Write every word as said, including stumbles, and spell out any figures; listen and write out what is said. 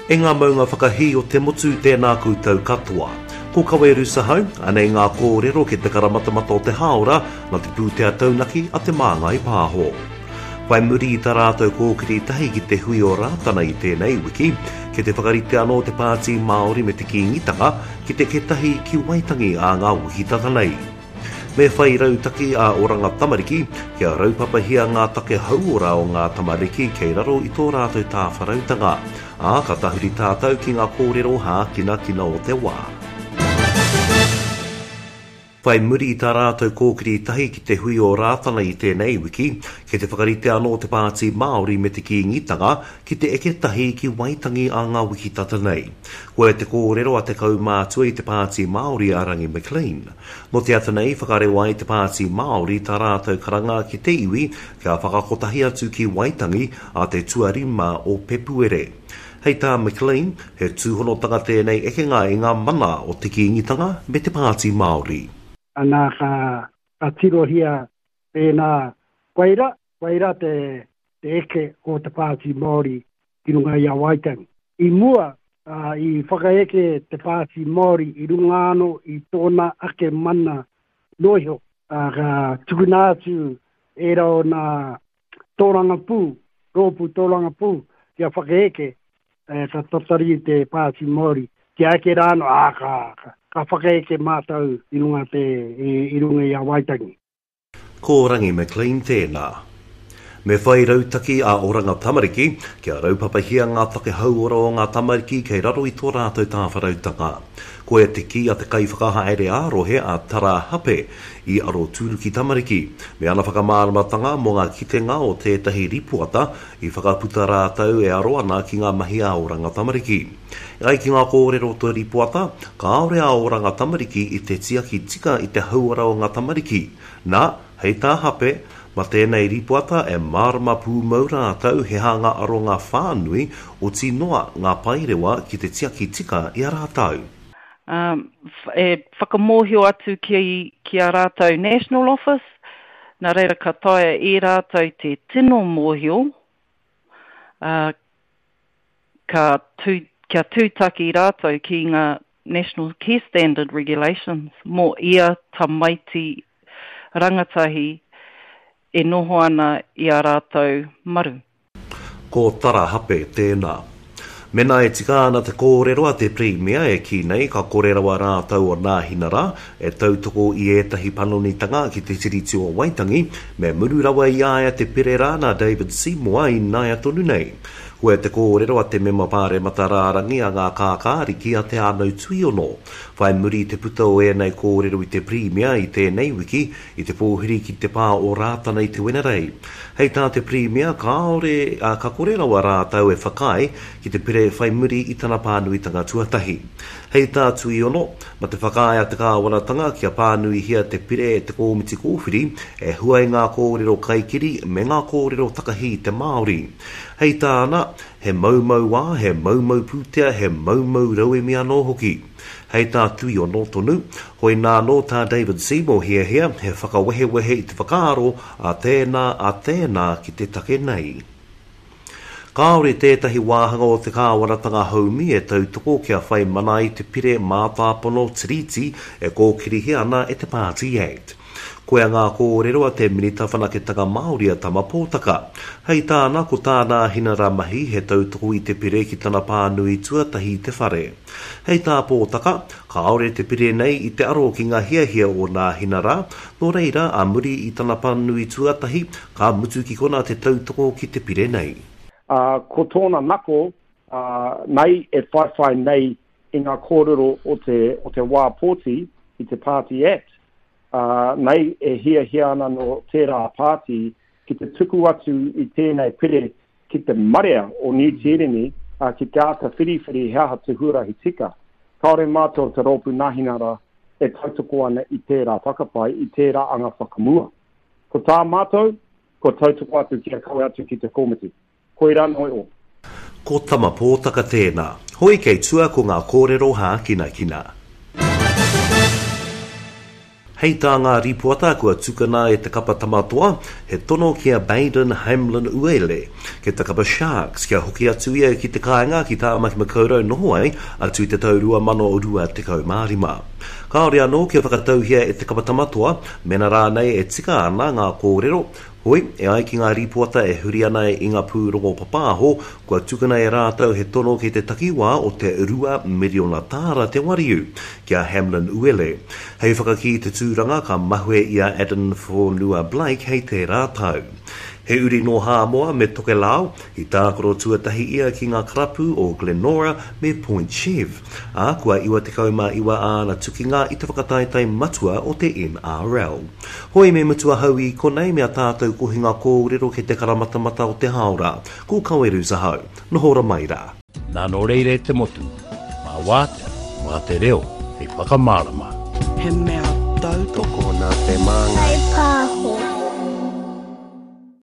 E ngā maunga whakahī o te motu tēnā koutou katoa. Ko Kawe Rusahau, anei ngā kōrero ki te karamatamata o te hāora na te pūtea taunaki a te Māngai Pāho. Whai muri i tā rātou kōkiri tahi ki te hui o Rātana i tēnei wiki, ki te whakarite anō te Pāti Māori me te Kīngitanga ki te ketahi ki Waitangi a ngā wiki tata nei. Me whai rautaki a Oranga Tamariki, kia raupapahia ngā take hauora o ngā tamariki kei raro i tō rātou tāwharautanga. Ā, ka tahuri tātou ki ngā kōrero hākinakina o te wā. Whai muri i tā rātou kōkiri tahi ki te hui o Rātana i tēnei wiki, ki te whakarite anō te Pāti Māori me te Kīngitanga ki te eke tahi ki Waitangi a ngā wiki tata nei. Koia te kōrero a te kaumātua i te Pāti Māori a Rangi McLean. Nō te ata nei whakarewa ai te Pāti Māori tā rātou karanga ki te iwi kia whakakotahi atu ki Waitangi a te tuarima o Pepuere. Hei tā McLean, he tūhonotanga tēnei ekenga i ngā mana o te Kīngitanga me te Pāti Māori. Ana ka, ka tirohia pēnā koira, koira te, te eke o te Pāti Māori ki runga i a Waitangi. I mua, uh, i whakaeke te Pāti Māori i runga anō i tōna ake mana noiho. Uh, ka tukuna atu e rau nā tōrangapū, rōpū tōrangapū, kia whakaeke, eh, ka tatari te Pāti Māori. Kia eke rāno, ā, ka, ka, ka whakaeke mātou i runga, te, i, i runga i a Waitangi. Ko Rangi McLean tēnā. Me whai rautaki a Oranga Tamariki, kia raupapahia ngā take hauora o ngā tamariki kei raro i tō rātou tāwharautanga. Koia te kī a te kaiwhakahaere ā-rohe a Tara Hape i Aroturuki Tamariki, me ana whakamāramatanga mō ngā kitenga o tētahi ripoata i whakaputa rātou e aro ana ki ngā mahi a Oranga Tamariki. E ai ki ngā kōrero o te ripoata, kāore a Oranga Tamariki i te tiaki tika i te hauora o ngā tamariki. Nā, hei tā Hape, ma tēnei ripoata e mārama pūmau rātou he hanga aronga whānui o tinoa ngā paerewa ki te tiaki tika i a rātou. Um, e whakamōhio atu ki, ki a rātou National Office, nā reira ka taea e rātou te tino mōhio, uh, ka tū, kia tūtaki rātou ki ngā National Care Standard Regulations mō ia tamaiti rangatahi e noho ana i a rātou maru. Ko Tara Hape tēnā. Mena e tika ana te kōrero a te Pirimia e kī nei ka kore rawa rātou o Nāhinara e tautoko i ētahi panonitanga ki te Tiriti o Waitangi, me muru rawa i a ia te pere rā nā David Seymour i naia tonu nei. Koia te kōrero a te mema pāremata rārangi a ngā kākāriki a Te Ānau Tuiono. Whai muri te puta o ēnei kōrero i te Pirimia i tēnei wiki, i te pōhiri ki te pā o Rātana i te Wenerei. Hei tā te Pirimia, kāore, a, ka kore rawa rātou e whakaae ki te pere whai muri i tana pānuitanga tuatahi. Hei tā Tuiono, ma te whakaae a te kāwanatanga kia pānuihia te pire e te kōmiti kōwhiri e hua i ngā kōrero kaikiri me ngā kōrero takahi i te Māori. Hei tāna, he maumau wā, he maumau pūtea, he maumau rauemi anō hoki. Hei tā Tuiono tonu, hoi nā nō tā David Seymour hiahia, he whakawehewehe i te whakaaro a tēnā a tēnā ki te take nei. Kāore tētahi wāhanga o te kāwanatanga haumi e tautoko kia whai mana i te pire mātāpono Tiriti e kōkirihia ana e te Party Act. Koia ngā kōrero a te Minita Whanaketanga Māori a Tama Pōtaka. Hei tāna, ko tā Nāhinara mahi he tautoko i te pire ki tana pānui tuatahi i te whare. Hei tā Pōtaka, kāore te pire nei i te aro ki ngā hiahia o Nāhinara, nō reira a muri i tana pānui tuatahi, ka mutu ki kona te tautoko ki te pire nei. Uh, ko tōna nako, uh, nei e whaiwhai nei i ngā kōrero o te, o te wā pōti i te Party Act. Uh, nei e hiahia ana no tērā pāti ki te tuku atu i tēnei pire ki te marea o Niu Tīreni uh, ki te āta whiriwhiri he aha te huarahi tika. Kāore mātou te rōpū Nāhinara e tautoko ana i tērā whakapae, i tērā anga whakamua. Ko tā mātou, ko tautoko atu kia kawe atu ki te komiti. Koira noi o. Ko Tama Pōtaka tēnā. Hoi kei tua ko ngā kōrero hākinakina. Hei tā ngā ripoata kua tukuna e te kapa tamatoa, he tono ki a Baden Hamlin Uele, ki te kapa Sharks kia hoki atu ia ki te kāinga ki Tāmaki Makaurau noho ai atu i te tau rua mano rua tekau mā rima. Kāore anō kia whakatauhia e te kapa Tamatoa mena rānei e tika ana ngā kōrero, hoi, e ai ki ngā rīpoata e huri ana i ngā pūrongo papāho, kua tukuna e rātou he tono ki te takiwā o te rua miriona tāra te wariu ki a Hamlin Uele. Hei whakakī te tūranga ka mahue i a Addin Fonua-Blake hei tērā tau. He uri nō Hāmoa me Tokelau, i tākaro tuatahi ia ki ngā karapu o Glenora me Point Chev, ā, kua iwa tekau mā iwa āna tukinga i te whakataetae matua o te N R L. Hoi me mutu ahau i konei me a tātou kohinga kōrero ki te karamatamata o te haora. Ko Kawerus ahau. Noho ora mai rā. Nā nō reira e te motu, mā wātea, mā te reo, hei whakamārama. He mea tautoko nā te māngai.